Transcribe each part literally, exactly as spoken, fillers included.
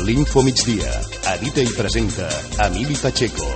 L'Info Migdia. Edita i presenta Emili Pacheco.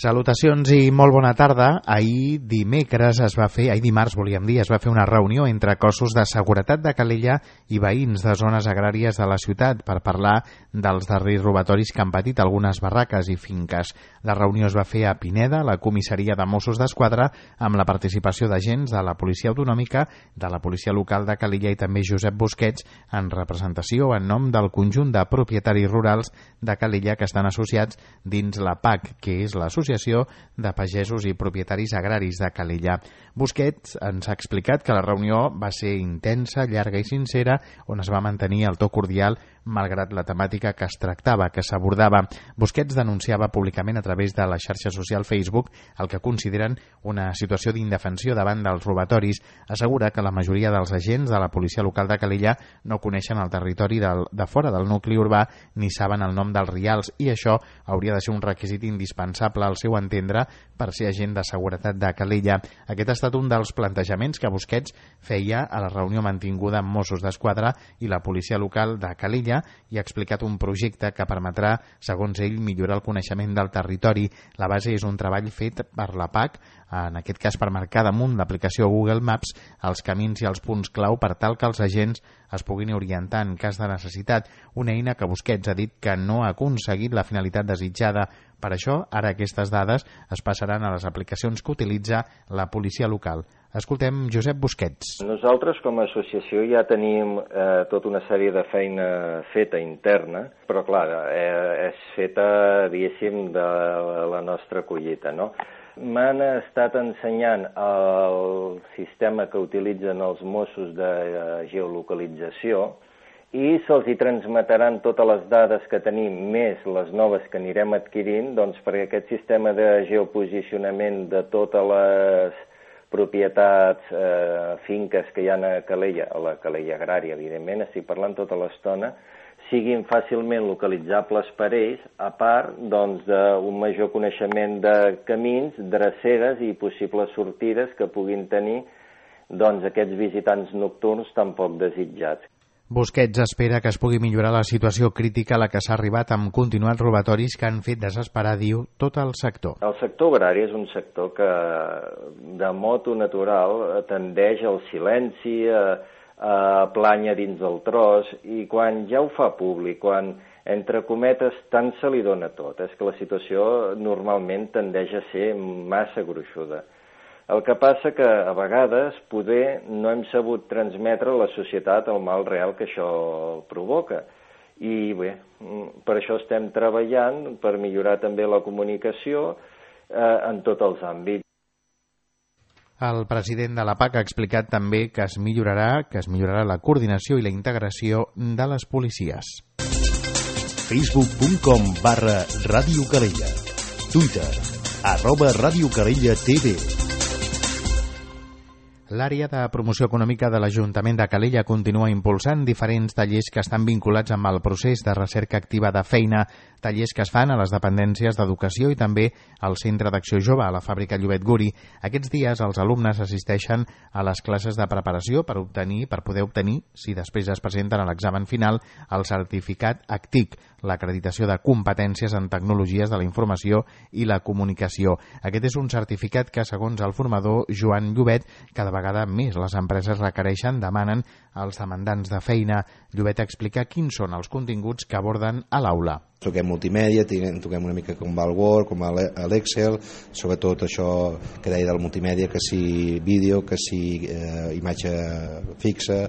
Salutacions i molt bona tarda. Ahir dimecres es va fer, ahir dimarts volíem dir, es va fer una reunió entre cossos de seguretat de Calella i veïns de zones agràries de la ciutat per parlar dels darrers robatoris que han patit algunes barraques i finques. La reunió es va fer a Pineda, la comissaria de Mossos d'Esquadra, amb la participació d'agents de la Policia Autonòmica, de la Policia Local de Calella i també Josep Busquets, en representació en nom del conjunt de propietaris rurals de Calella que estan associats dins la P A C, que és l'Associació de Pagesos i Propietaris Agraris de Calella. Busquets ens ha explicat que la reunió va ser intensa, llarga i sincera, on es va mantenir el to cordial malgrat la temàtica que es tractava, que s'abordava. Busquets denunciava públicament a través de la xarxa social Facebook el que consideren una situació d'indefensió davant dels robatoris. Assegura que la majoria dels agents de la policia local de Calella no coneixen el territori del, de fora del nucli urbà ni saben el nom dels rials i això hauria de ser un requisit indispensable al seu entendre per ser agent de seguretat de Calella. Aquest ha estat un dels plantejaments que Busquets feia a la reunió mantinguda amb Mossos d'Esquadra i la policia local de Calella i ha explicat un projecte que permetrà, segons ell, millorar el coneixement del territori. La base és un treball fet per la P A C, en aquest cas per marcar damunt l'aplicació Google Maps els camins i els punts clau per tal que els agents es puguin orientar en cas de necessitat, una eina que Busquets ha dit que no ha aconseguit la finalitat desitjada. Per això, ara aquestes dades es passaran a les aplicacions que utilitza la policia local. Escoltem Josep Busquets. Nosaltres com a associació ja tenim eh, tota una sèrie de feina feta interna, però clar, eh, és feta, diguéssim, de la nostra collita, no? M'han estat ensenyant el sistema que utilitzen els Mossos de geolocalització i se'ls hi transmetaran totes les dades que tenim, més les noves que anirem adquirint, doncs perquè aquest sistema de geoposicionament de totes les propietats, eh, finques que hi ha a Calella, a la Calella agrària, evidentment, estic parlant tota l'estona, siguin fàcilment localitzables per ells, a part doncs, d'un major coneixement de camins, dreceres i possibles sortides que puguin tenir doncs, aquests visitants nocturns tan poc desitjats. Busquets espera que es pugui millorar la situació crítica a la que s'ha arribat amb continuats robatoris que han fet desesperar, diu, tot el sector. El sector agrari és un sector que de motu natural tendeix al silenci, a, a planya dins del tros, i quan ja ho fa públic, quan entre cometes tant se li dona tot, és que la situació normalment tendeix a ser massa gruixuda. El que passa que a vegades poder no hem sabut transmetre a la societat el mal real que això provoca. I bé, per això estem treballant per millorar també la comunicació eh, en tots els àmbits. El president de la P A C ha explicat també que es millorarà, que es millorarà la coordinació i la integració de les policies. facebook punt com barra Ràdio Calella. Twitter, arroba Ràdio Calella T V. L'àrea de promoció econòmica de l'Ajuntament de Calella continua impulsant diferents tallers que estan vinculats amb el procés de recerca activa de feina, tallers que es fan a les dependències d'educació i també al Centre d'Acció Jove, a la fàbrica Llobet Guri. Aquests dies els alumnes assisteixen a les classes de preparació per obtenir, per poder obtenir, si després es presenten a l'examen final, el certificat A C T I C, l'acreditació de competències en tecnologies de la informació i la comunicació. Aquest és un certificat que, segons el formador Joan Llobet, cada vegada més les empreses requereixen, demanen als demandants de feina. Llobet explica quins són els continguts que aborden a l'aula. Toquem multimèdia, toquem una mica com va el Word, com l'Excel, sobretot això que deia del multimèdia, que si vídeo, que si eh, imatge fixa,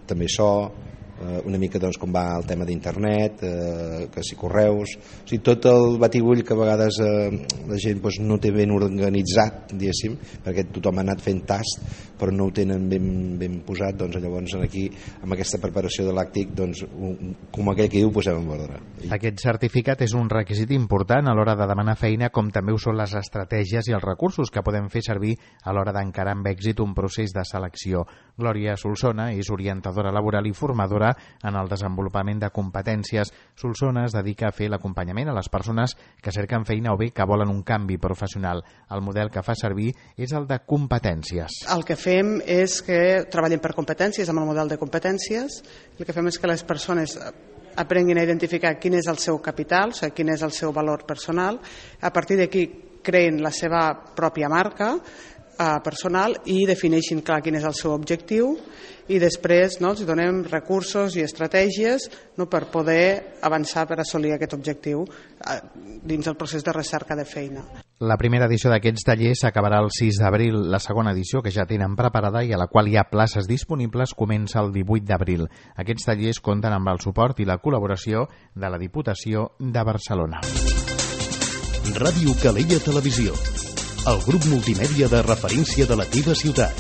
també so, eh, una mica doncs, com va el tema d'internet, eh, que si correus, o sigui, tot el batibull que a vegades eh, la gent doncs, no té ben organitzat, diguéssim, perquè tothom ha anat fent tast, però no ho tenen ben, ben posat, doncs llavors aquí, amb aquesta preparació de l'àctic, doncs, un, com aquell que diu, ho posem en ordre. Aquest certificat és un requisit important a l'hora de demanar feina, com també ho són les estratègies i els recursos que podem fer servir a l'hora d'encarar amb èxit un procés de selecció. Glòria Solsona és orientadora laboral i formadora iniciativa en el desenvolupament de competències. Solsona es dedica a fer l'acompanyament a les persones que cerquen feina o bé que volen un canvi professional. El model que fa servir és el de competències. El que fem és que treballem per competències, amb el model de competències. El que fem és que les persones aprenguin a identificar quin és el seu capital, o sigui, quin és el seu valor personal. A partir d'aquí creen la seva pròpia marca eh, personal i defineixin clar quin és el seu objectiu i després no, els donem recursos i estratègies no, per poder avançar per assolir aquest objectiu eh, dins el procés de recerca de feina. La primera edició d'aquests tallers s'acabarà el sis d'abril. La segona edició, que ja tenen preparada i a la qual hi ha places disponibles, comença el divuit d'abril. Aquests tallers compten amb el suport i la col·laboració de la Diputació de Barcelona. Ràdio Calella Televisió, el grup multimèdia de referència de la teva ciutat.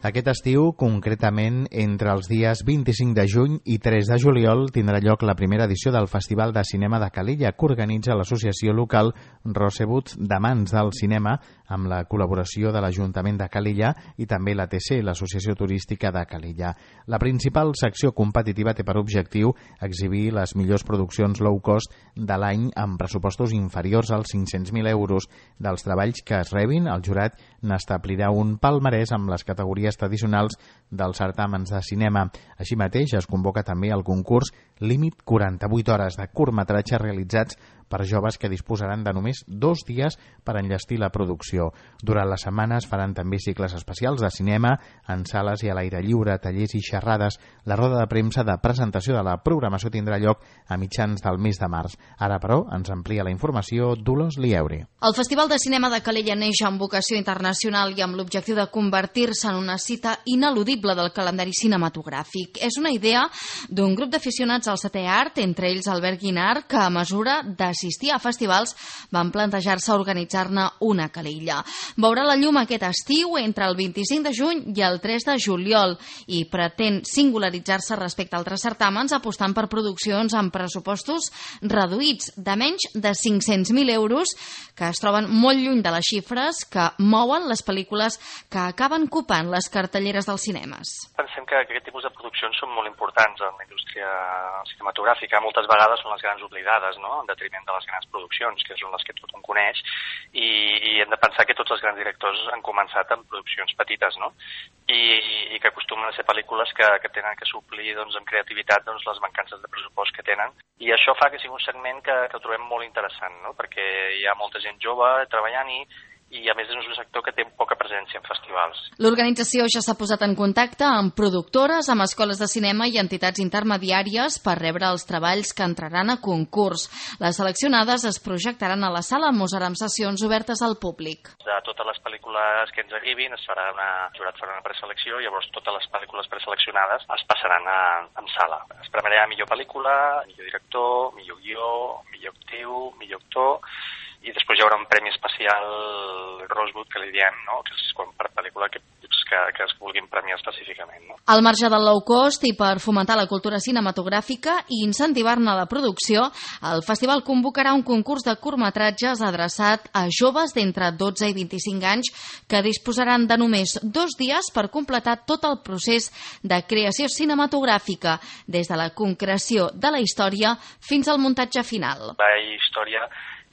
Aquest estiu, concretament entre els dies vint-i-cinc de juny i tres de juliol, tindrà lloc la primera edició del Festival de Cinema de Calella, que organitza l'associació local Rosebud d'Amants del Cinema, amb la col·laboració de l'Ajuntament de Calella i també l'A T C, l'Associació Turística de Calella. La principal secció competitiva té per objectiu exhibir les millors produccions low cost de l'any amb pressupostos inferiors als cinc-cents mil euros. Dels treballs que es rebin, el jurat n'establirà un palmarès amb les categories tradicionals dels certàmens de cinema. Així mateix es convoca també el concurs Límit quaranta-vuit hores de curtmetratges realitzats per joves que disposaran de només dos dies per enllestir la producció. Durant la setmana es faran també cicles especials de cinema en sales i a l'aire lliure, tallers i xerrades. La roda de premsa de presentació de la programació tindrà lloc a mitjans del mes de març. Ara, però, ens amplia la informació Dolors Lieure. El Festival de Cinema de Calella neix amb vocació internacional i amb l'objectiu de convertir-se en una cita ineludible del calendari cinematogràfic. És una idea d'un grup d'aficionats al setè art, entre ells Albert Guinart, que a mesura d'assistir a festivals van plantejar-se organitzar-ne una a Calella. Veurà la llum aquest estiu entre el vint-i-cinc de juny i el tres de juliol i pretén singularitzar-se respecte a altres certàmens apostant per produccions amb pressupostos reduïts de menys de cinc-cents mil euros que es troben molt lluny de les xifres que mouen les pel·lícules que acaben copant les cartelleres dels cinemes. Pensem que aquest tipus de produccions són molt importants en la indústria cinematogràfica. Moltes vegades són les grans oblidades, no?, en detriment de les grans produccions, que són les que tothom coneix, i, i hem de pensar que tots els grans directors han començat amb produccions petites, no?, i, i que acostumen a ser pel·lícules que, que tenen que suplir doncs, amb creativitat doncs, les mancances de pressupost que tenen. I això fa que sigui un segment que, que trobem molt interessant, no?, perquè hi ha molta gent jove treballant i i a més és un sector que té poca presència en festivals. L'organització ja s'ha posat en contacte amb productores, amb escoles de cinema i entitats intermediàries per rebre els treballs que entraran a concurs. Les seleccionades es projectaran a la sala Mozart amb sessions obertes al públic. De totes les pel·lícules que ens arribin es farà una, el jurat farà una preselecció i llavors totes les pel·lícules preseleccionades es passaran a, en sala. Es premiarà millor pel·lícula, millor director, millor guió, millor actiu, millor actor, i després hi haurà un premi especial Rosebud, que li diem, no?, que és quan per pel·lícula que, que, que es vulguin premiar específicament. No? Al marge del low cost i per fomentar la cultura cinematogràfica i incentivar-ne la producció, el festival convocarà un concurs de curtmetratges adreçat a joves d'entre dotze i vint-i-cinc anys que disposaran de només dos dies per completar tot el procés de creació cinematogràfica, des de la concreció de la història fins al muntatge final. La història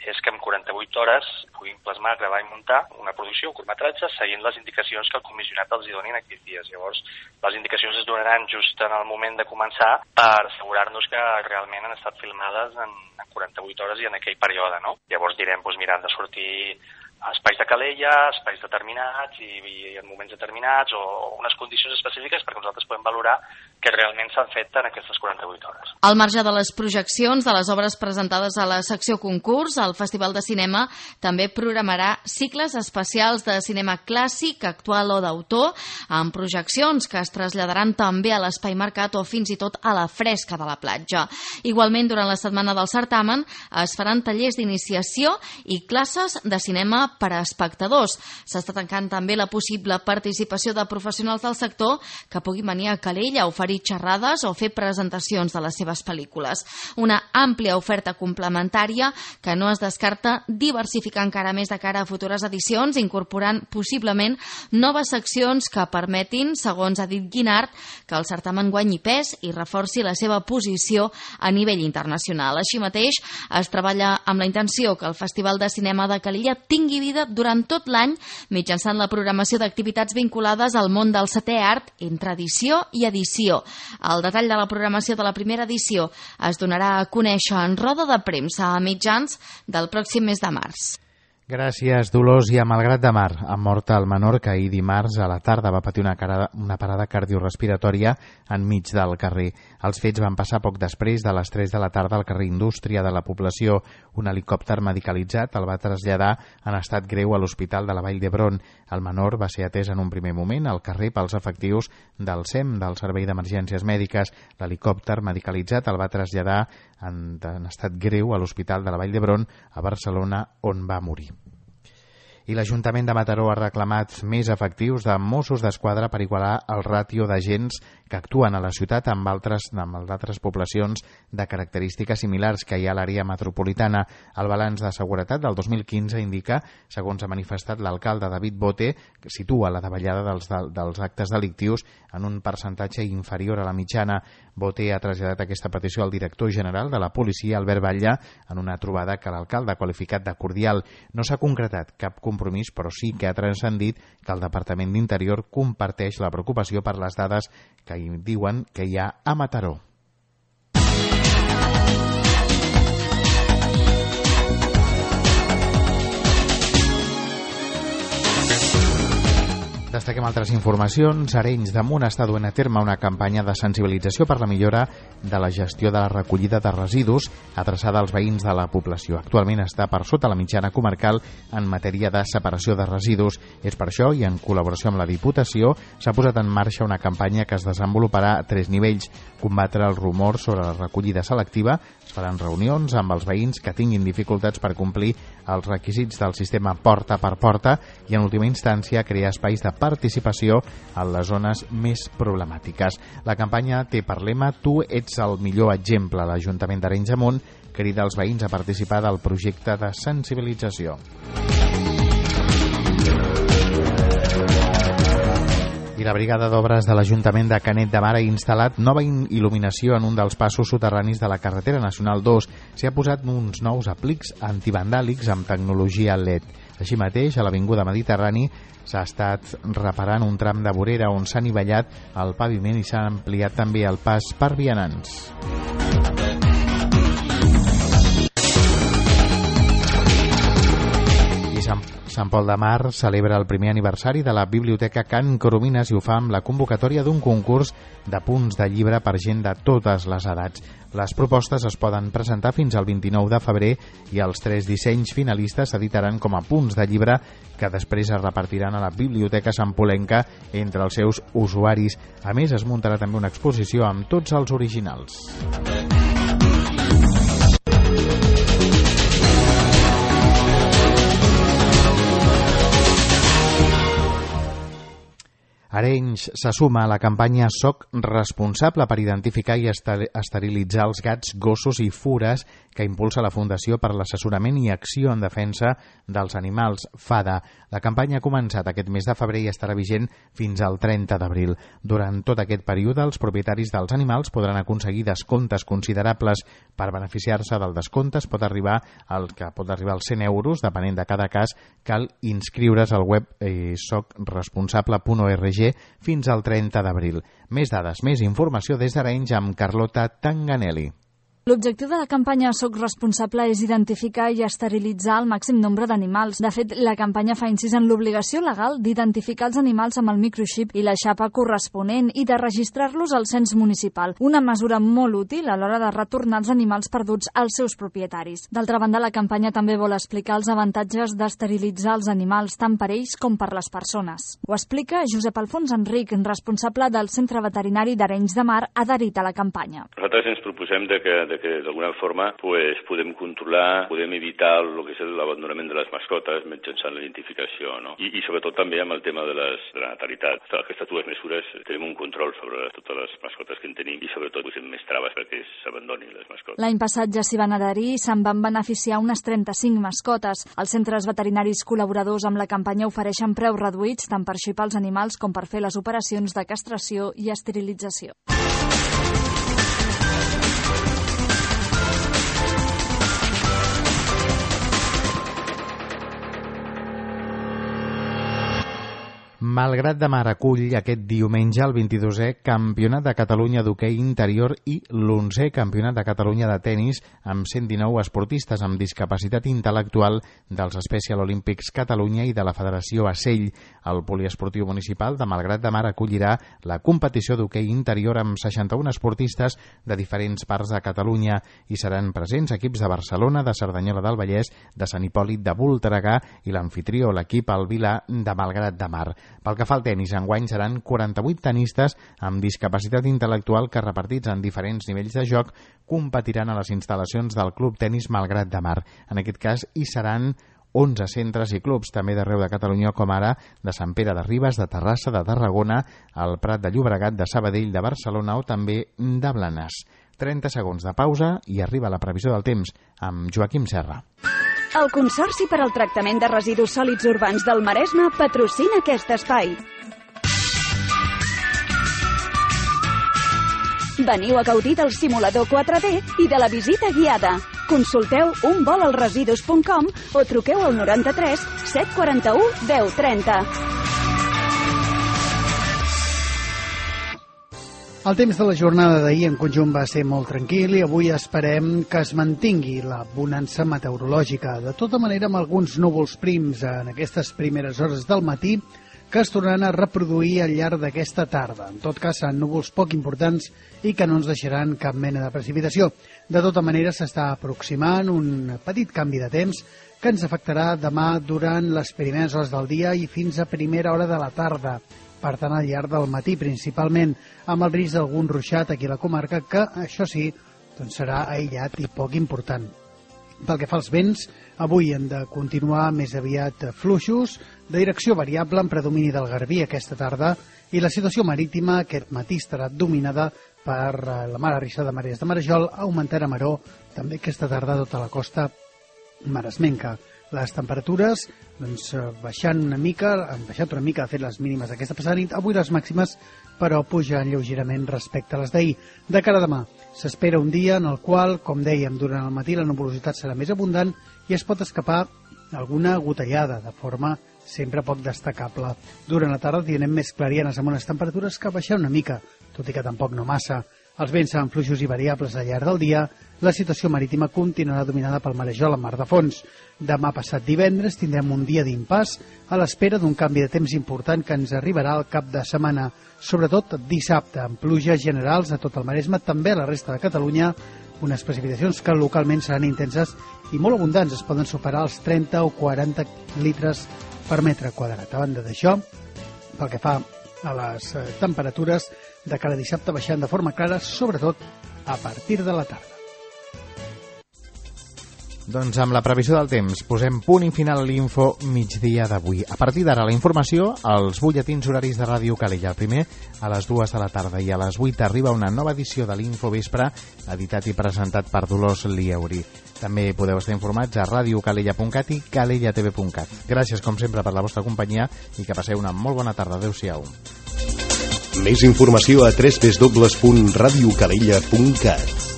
és que en quaranta-vuit hores puguin plasmar, gravar i muntar una producció, un curtmetratge, seguint les indicacions que el comissionat els hi donin aquells dies. Llavors, les indicacions es donaran just en el moment de començar per assegurar-nos que realment han estat filmades en quaranta-vuit hores i en aquell període, no? Llavors direm, doncs mira, han de sortir espais de Calella, espais determinats i, i en moments determinats o unes condicions específiques perquè nosaltres podem valorar que realment s'han fet en aquestes quaranta-vuit hores. Al marge de les projeccions de les obres presentades a la secció concurs, el Festival de Cinema també programarà cicles especials de cinema clàssic, actual o d'autor, amb projeccions que es traslladaran també a l'Espai Mercat o fins i tot a la Fresca de la Platja. Igualment, durant la setmana del certamen es faran tallers d'iniciació i classes de cinema per a espectadors. S'està tancant també la possible participació de professionals del sector que puguin venir a Calella a oferir oferir xerrades o fer presentacions de les seves pel·lícules. Una àmplia oferta complementària que no es descarta diversificar encara més de cara a futures edicions, incorporant possiblement noves seccions que permetin, segons ha dit Guinart, que el certamen guanyi pes i reforci la seva posició a nivell internacional. Així mateix, es treballa amb la intenció que el Festival de Cinema de Calella tingui vida durant tot l'any mitjançant la programació d'activitats vinculades al món del setè art entre edició i edició. El detall de la programació de la primera edició es donarà a conèixer en roda de premsa a mitjans del pròxim mes de març. Gràcies, Dolors. I a Malgrat de Mar, ha mort el menor que ahir dimarts a la tarda va patir una, cara, una parada cardiorrespiratòria enmig del carrer. Els fets van passar poc després de les tres de la tarda al carrer Indústria de la població. Un helicòpter medicalitzat el va traslladar en estat greu a l'Hospital de la Vall d'Hebron. El menor va ser atès en un primer moment al carrer pels efectius del S E M, del Servei d'Emergències Mèdiques. L'helicòpter medicalitzat el va traslladar en, en estat greu a l'Hospital de la Vall d'Hebron a Barcelona, on va morir. I l'Ajuntament de Mataró ha reclamat més efectius de Mossos d'Esquadra per igualar el ràtio d'agents que actuen a la ciutat amb altres, amb altres poblacions de característiques similars que hi ha a l'àrea metropolitana. El balanç de seguretat del dos mil quinze indica, segons ha manifestat l'alcalde David Bote, que situa la davallada dels, dels actes delictius en un percentatge inferior a la mitjana. Bote ha traslladat aquesta petició al director general de la policia, Albert Batlle, en una trobada que l'alcalde ha qualificat de cordial. No s'ha concretat cap compromís, però sí que ha transcendit que el Departament d'Interior comparteix la preocupació per les dades que hi diuen que hi ha a Mataró. Destaquem altres informacions. Arenys de Munt està duent a terme una campanya de sensibilització per la millora de la gestió de la recollida de residus adreçada als veïns de la població. Actualment està per sota la mitjana comarcal en matèria de separació de residus. És per això, i en col·laboració amb la Diputació, s'ha posat en marxa una campanya que es desenvoluparà a tres nivells. Combatre el rumor sobre la recollida selectiva. Es faran reunions amb els veïns que tinguin dificultats per complir els requisits del sistema porta per porta i, en última instància, crear espais de participació en les zones més problemàtiques. La campanya té per lema "Tu ets el millor exemple". L'Ajuntament d'Arenys de Munt crida als veïns a participar del projecte de sensibilització. I la brigada d'obres de l'Ajuntament de Canet de Mar ha instal·lat nova il·luminació en un dels passos soterranis de la carretera nacional dos. S'hi ha posat uns nous aplics antivandàlics amb tecnologia L E D. Així mateix, a l'Avinguda Mediterrani s'ha estat reparant un tram de vorera on s'ha anivellat el paviment i s'ha ampliat també el pas per vianants. Sant Pol de Mar celebra el primer aniversari de la Biblioteca Can Coromines i ho fa amb la convocatòria d'un concurs de punts de llibre per gent de totes les edats. Les propostes es poden presentar fins al vint-i-nou de febrer i els tres dissenys finalistes s'editaran com a punts de llibre que després es repartiran a la Biblioteca Santpolenca entre els seus usuaris. A més, es muntarà també una exposició amb tots els originals. Arenys se suma a la campanya Soc responsable per identificar i esterilitzar els gats, gossos i fures que impulsa la Fundació per l'Assessorament i Acció en Defensa dels Animals, FADA. La campanya ha començat aquest mes de febrer i estarà vigent fins al trenta d'abril. Durant tot aquest període, els propietaris dels animals podran aconseguir descomptes considerables. Per beneficiar-se del descompte es pot arribar al que pot arribar als cent euros, depenent de cada cas. Cal inscriure's al web eh, soc responsable punt org fins al trenta d'abril. Més dades, més informació des d'Arenys amb Carlota Tanganelli. L'objectiu de la campanya Soc responsable és identificar i esterilitzar el màxim nombre d'animals. De fet, la campanya fa incís en l'obligació legal d'identificar els animals amb el microxip i la xapa corresponent i de registrar-los al cens municipal. Una mesura molt útil a l'hora de retornar els animals perduts als seus propietaris. D'altra banda, la campanya també vol explicar els avantatges d'esterilitzar els animals tant per ells com per les persones. Ho explica Josep Alfons Enric, responsable del Centre Veterinari d'Arenys de Mar, adherit a la campanya. Nosaltres ens proposem de que de que d'alguna forma pues, podem controlar, podem evitar el que és l'abandonament de les mascotes mitjançant la identificació, no? I, i sobretot també amb el tema de, les, de la natalitat. Aquestes dues mesures tenim un control sobre totes les mascotes que en tenim i sobretot posem més traves perquè s'abandonin les mascotes. L'any passat ja s'hi van adherir i se'n van beneficiar unes trenta-cinc mascotes. Els centres veterinaris col·laboradors amb la campanya ofereixen preus reduïts tant per xipar els animals com per fer les operacions de castració i esterilització. Malgrat de Mar acull aquest diumenge el vint-i-dosè Campionat de Catalunya d'hoquei interior i l'onzè Campionat de Catalunya de tenis amb cent dinou esportistes amb discapacitat intel·lectual dels Special Olympics Catalunya i de la Federació Acell. El poliesportiu municipal de Malgrat de Mar acollirà la competició d'hoquei interior amb seixanta-un esportistes de diferents parts de Catalunya i seran presents equips de Barcelona, de Cerdanyola del Vallès, de Sant Hipòlit de Voltregà i l'anfitrió, l'equip El Vilà de Malgrat de Mar. Pel que fa al tenis, enguany seran quaranta-vuit tenistes amb discapacitat intel·lectual que, repartits en diferents nivells de joc, competiran a les instal·lacions del Club Tenis Malgrat de Mar. En aquest cas, hi seran onze centres i clubs, també d'arreu de Catalunya, com ara de Sant Pere de Ribes, de Terrassa, de Tarragona, el Prat de Llobregat, de Sabadell, de Barcelona o també de Blanes. trenta segons de pausa i arriba la previsió del temps amb Joaquim Serra. El Consorci per al Tractament de Residus Sòlids Urbans del Maresme patrocina aquest espai. Veniu a gaudir del simulador quatre D i de la visita guiada. Consulteu un vol als residus punt com o truqueu al noranta-tres set quaranta-u deu trenta. El temps de la jornada d'ahir en conjunt va ser molt tranquil i avui esperem que es mantingui la bonança meteorològica. De tota manera, amb alguns núvols prims en aquestes primeres hores del matí que es tornaran a reproduir al llarg d'aquesta tarda. En tot cas, seran núvols poc importants i que no ens deixaran cap mena de precipitació. De tota manera, s'està aproximant un petit canvi de temps que ens afectarà demà durant les primeres hores del dia i fins a primera hora de la tarda. Per tant, al llarg del matí, principalment amb el risc d'algun ruixat aquí a la comarca, que això sí, doncs serà aïllat i poc important. Pel que fa als vents, avui han de continuar més aviat fluixos, de direcció variable en predomini del Garbí aquesta tarda, i la situació marítima aquest matí estarà dominada per la mar arrissada de Marees de Marajol, augmentant a Maró també aquesta tarda tota la costa maresmenca. Les temperatures doncs, baixant una mica, han baixat una mica, de fet, les mínimes d'aquesta passada nit. Avui les màximes, però, pugen lleugerament respecte a les d'ahir. De cara a demà, s'espera un dia en el qual, com dèiem, durant el matí la nuvolositat serà més abundant i es pot escapar alguna gotellada, de forma sempre poc destacable. Durant la tarda tindrem més clarianes amb unes temperatures que baixen una mica, tot i que tampoc no massa. Els vents seran fluixos i variables al llarg del dia. La situació marítima continuarà dominada pel marejol en mar de fons. Demà passat divendres tindrem un dia d'impàs a l'espera d'un canvi de temps important que ens arribarà al cap de setmana, sobretot dissabte, amb pluges generals a tot el Maresme, també a la resta de Catalunya, unes precipitacions que localment seran intenses i molt abundants, es poden superar els trenta o quaranta litres per metre quadrat. A banda d'això, pel que fa a les temperatures, de cara a dissabte baixant de forma clara, sobretot a partir de la tarda. Doncs amb la previsió del temps posem punt i final a l'info migdia d'avui. A partir d'ara la informació als butlletins horaris de Ràdio Calella. El primer a les dues de la tarda i a les vuit arriba una nova edició de l'Info Vespre, editat i presentat per Dolors Lieuri. També podeu estar informats a radiocalella punt cat i calella t v punt cat. Gràcies com sempre per la vostra companyia i que passeu una molt bona tarda. Adéu-siau. Més informació a w w w punt radiocalella punt cat.